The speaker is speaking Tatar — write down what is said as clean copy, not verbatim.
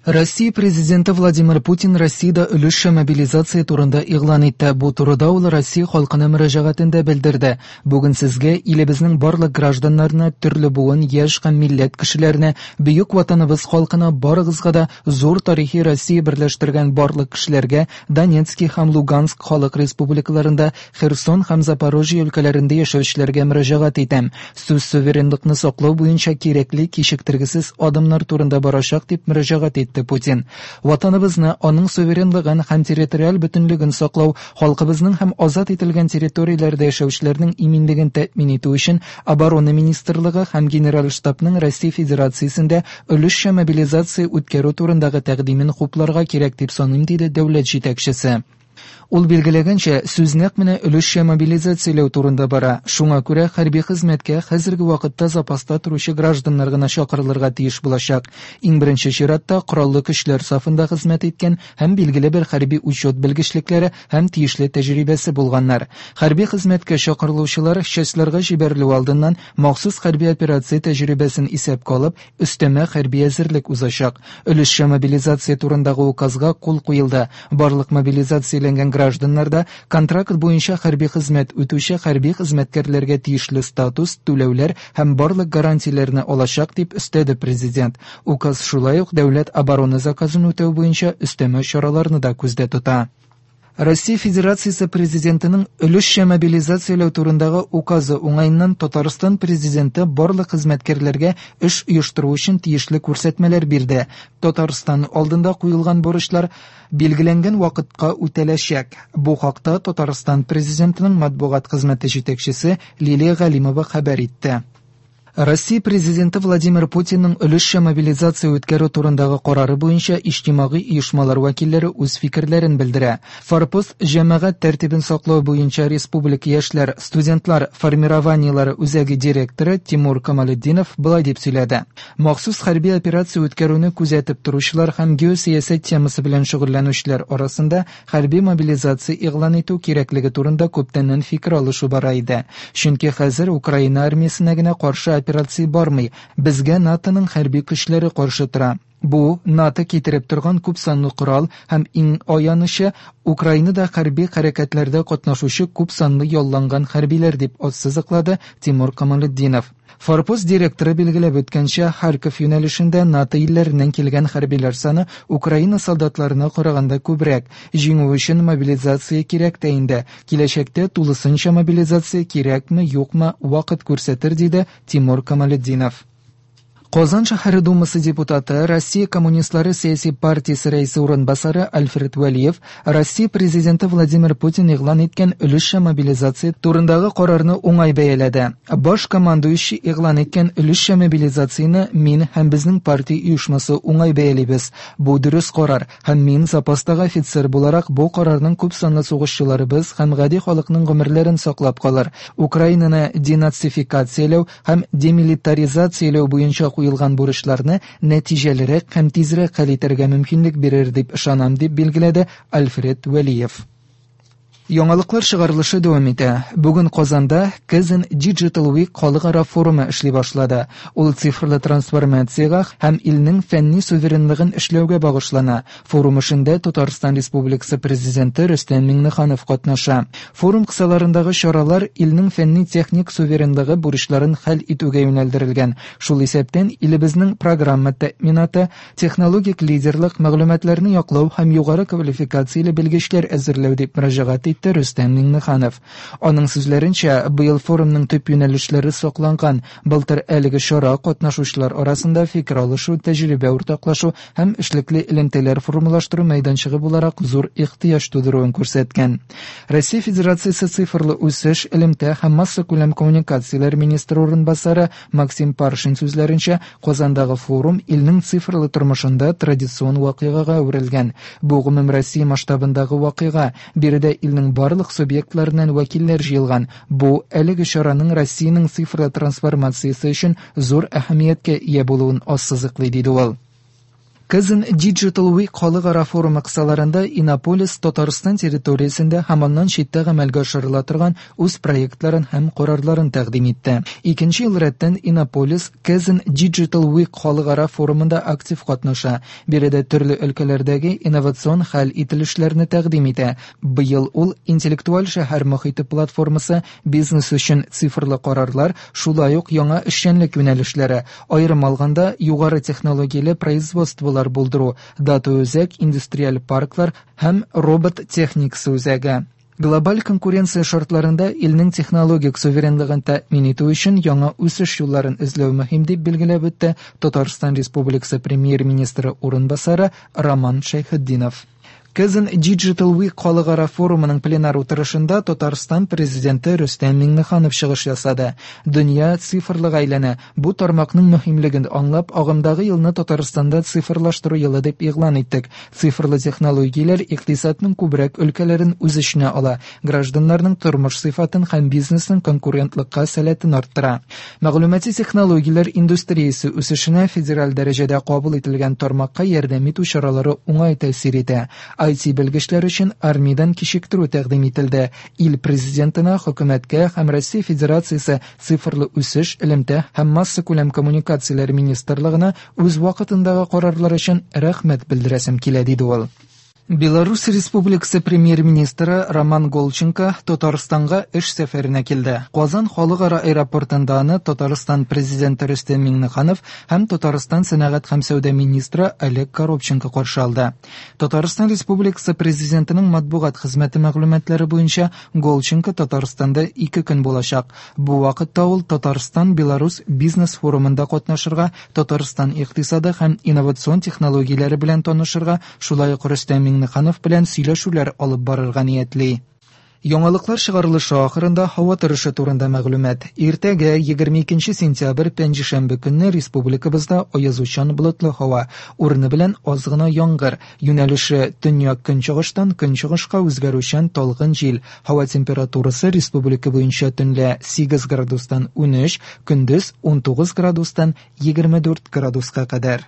Россия Президенты Владимир Путин Россиядә өлешчә мобилизация турында игълан итте. Бу турыда ул Россия халкына мөрәҗәгатендә белдерде. Бүген сезгә, илебезнең барлык гражданнарына, төрле буын, яшь һәм милләт кешеләренә, бөек Ватаныбыз халкына, барыгызга да, зур тарихи Россия берләштергән барлык кешеләргә, Донецки һәм Луганск халык республикаларында, Херсон һәм Запорожье өлкәләрендә яшәүчеләргә мөрәҗәгать итәм. Сүз суверенлыкны саклау буенча кирәкле кичектергесез адымнар турында барачак, дип мөрәҗәгать итте Путин. Ватаныбызны, аның суверенлыгын һәм территориаль бөтенлеген саклау, халкыбызның һәм азат ителгән территорияләрдә яшәүчеләрнең иминлеген тәэмин итү өчен Оборона министрлыгы һәм Генераль штабның Россия Федерациясендә өлешчә мобилизация үткәрү турындагы тәкъдимен хупларга кирәк дип саныйм, диде дәүләт җитәкчесе. Ул билгеләгәнчә, сүз нәкъ менә өлешчә мобилизацияләү турында бара. Шуңа күрә хәрби хезмәткә хәзерге вакытта запаста торучы гражданнар гына чакырылырга тиеш булачак. Иң беренче чиратта, Кораллы Көчләр сафында хезмәт иткән һәм билгеле бер хәрби учет белгечлекләре һәм тиешле тәҗрибәсе булганнар. Хәрби хезмәткә чакырылучылар частьларга җибәрелү алдыннан махсус хәрби операция тәҗрибәсен исәпкә алып, Өстәмә хәрби әзерлек узачак. Өлешчә мобилизация турындагы указга кул куелды. Барлык мобилизацияләнгән гражданнар да контракт буенча хәрби хезмәт үтүче хәрби хезмәткәрләргә тиешле статус, түләүләр һәм барлык гарантияләрне алачак, дип өстәде Президент. Указ шулай ук дәүләт оборона заказын үтәү буенча өстәмә чараларны да күздә тота. Россия Федерациясе Президентының өлешчә мобилизацияләү турындагы указы уңаеннан Татарстан Президенты барлык хезмәткәрләргә эш оештыру өчен тиешле күрсәтмәләр бирде. Татарстан алдында куелган бурычлар билгеләнгән вакытка үтәләчәк. Бу хакта Татарстан Президентының матбугат хезмәте җитәкчесе Лилия Галимова хәбәр итте. Россия Президенты Владимир Путинның өлешчә мобилизация үткәрү турындагы карары буенча иҗтимагый оешмалар вәкилләре үз фикерләрен белдерә. Форпост җәмәгать тәртибен саклау буенча республика яшьләр, студентлар формированиеләре үзәге директоры Тимур Камалетдинов болай дип сөйләде. Махсус хәрби операция үткәрүне күзәтеп торучылар һәм геосәясәт темасы белән шөгыльләнүчеләр арасында Хәрби мобилизация игълан итү кирәклеге турында күптәннән фикер алышу бара иде. Чөнки хәзер Украина армиясенә генә каршы операция бармый, безгә НАТОның хәрби көчләре каршы тора. Бу, НАТО китереп торган күпсанлы корал һәм иң аянычы, Украинада хәрби хәрәкәтләрдә катнашучы күпсанлы ялланган хәрбиләр, дип ассызыклады Тимур Камалетдинов. Форпост директоры билгеләп үткәнчә, Харьков юнәлешендә НАТО илләреннән килгән хәрбиләр саны Украина солдатларына караганда күбрәк. Җиңү өчен мобилизация кирәк тә инде. Киләчәктә тулысынча мобилизация кирәкме, юкмы, вакыт күрсәтер, диде Тимур Камалетдинов. Казан шәһәре Думасы депутаты, Россия коммунистлары сәяси партиясе рәисе урынбасары Альфред Вәлиев Россия Президенты Владимир Путин игълан иткән өлешчә мобилизация турындагы карарны уңай бәяләде. Баш командующий игълан иткән өлешчә мобилизацияне мин һәм безнең партия оешмасы уңай бәялибез. Бу дөрес карар, һәм мин, запастагы офицер буларак, бу карарның күпсанлы сугышчыларыбыз һәм гади халыкның гомерләрен саклап калыр, Украинаны денацификацияләү һәм демилитаризацияләү буенча куелган бурычларны нәтиҗәлерәк һәм тизрәк хәл итәргә мөмкинлек бирер дип ышанам, дип билгеләде Альфред Вәлиев. Яңалыклар чыгарылышы дәвам итә. Бүген Казанда Kazan Digital Week халыкара форумы эшли башлады. Ул цифрлы трансформациягә һәм илнең фәнни суверенлыгын эшләүгә багышлана. Форум эшендә Татарстан Республикасы Президенты Рөстәм Миңнеханов катнаша. Форум кысаларындагы чаралар илнең фәнни-техник суверенлыгы бурычларын хәл итүгә юнәлдерелгән, шул исәптән илебезнең программа тәэминаты, технологик лидерлык, мәгълүматларны яклау һәм югары квалификацияле белгечләр әзерләү, дип мөрәҗәгать итте Рөстәм Миңнеханов. Аның сүзләренчә, быел форумның төп юнәлешләре сакланган. Былтыр әлеге чара катнашучылар арасында фикер алышу, тәҗрибә уртаклашу һәм эшлекле элемтәләр формалаштыру мәйданчыгы буларак зур ихтыяҗ тудыруын күрсәткән. Россия Федерациясе цифрлы үсеш, элемтә һәм массакүләм коммуникацияләр министры урынбасары Максим Паршин сүзләренчә, Казандагы форум илнең цифрлы тормышында традицион вакыйгага әверелгән. Бу гомумроссия масштабындагы вакыйга, биредә илнең барлык субъектларыннан вәкилләр җыелган. Бу, әлеге чараның Россиянең цифрлы трансформациясе өчен зур әһәмияткә ия булуын ассызыклый, диде ул. Kazan Digital Week халыкара форумы кысаларында Иннополис Татарстан территориясендә һәм аннан читтә гамәлгә ашырыла торган үз проектларын һәм карарларын тәкъдим итте. Икенче ел рәттән Иннополис Kazan Digital Week халыкара форумында актив катнаша. Биредә төрле өлкәләрдәге инновацион хәл ителешләрне тәкъдим итә. Быел ул интеллектуаль шәһәр мохите платформасы, бизнес өчен цифрлы карарлар, шулай ук яңа эшчәнлек юнәлешләре, аерым алганда, югары технологияле производстволар булдыру, дата-үзәк, индустриаль парклар һәм робот техникасы үзәге. Глобаль конкуренция шартларында илнең технологик суверенлыгын тәэмин итү өчен яңа үсеш юлларын эзләү мөһим, дип билгеләп үтте Татарстан Республикасы Премьер-министры урынбасары Роман Шәйхетдинов. Kazan Digital Week халыкара форумының пленар утырышында Татарстан президенты Рөстәм Миңнеханов чыгыш ясады. Дөнья цифрлыга әйләнә. Бу тармакның мөһимлеген аңлап, агымдагы елны Татарстанда цифрлаштыру елы дип игълан иттек. Цифрлы технологияләр икътисадның күбрәк өлкәләрен үз эченә ала, гражданнарның тормыш сыйфатын һәм бизнесның конкурентлыкка сәләтен арттыра. Мәгълүмати технологияләр индустриясе үсешенә федераль дәрәҗәдә кабул ителгән тармакка ярдәм итү чаралары уңай тәэсир итә. IT белгечләр өчен армиядән кичектерү тәкъдим ителде. Ил президентына, хөкүмәткә һәм Россия Федерациясе цифрлы үсеш, элемтә һәм массакүләм коммуникацияләр министрлыгына үз вакытындагы карарлар өчен рәхмәт белдерәсем килә, диде ул. Беларусь Республикасы премьер-министры Роман Голченко Татарстанга эш сәфәренә килде. Казан халыкара аэропортында аны Татарстан президенты Рөстәм Миңнеханов һәм Татарстан сәнәгать һәм сәүдә министры Олег Коробченко каршы алды. Татарстан Республикасы Президентының матбугат хезмәте мәгълүматлары буенча, Голченко Татарстанда ике көн булачак. Бу вакытта ул Татарстан-Беларусь бизнес-форумында катнашырга, Татарстан икътисады һәм инновацион технологияләре белән танышырга, шулай ук Рөстәм Миңнеханов белән сөйләшүләр алып барырга ниятли. Яңалыклар чыгарылышы ахырында һава торышы турында мәгълүмат. Иртәгә, 22 сентябрь, пәнҗешәмбе көнне республикабызда аязучан болытлы һава, урыны белән аз гына яңгыр, юнәлеше төньяк-көнчыгыштан көнчыгышка үзгәрүчән талгын җил. Һава температурасы республика буенча төнлә 8 градустан 13, көндез 19 градустан 24 градуска кадәр.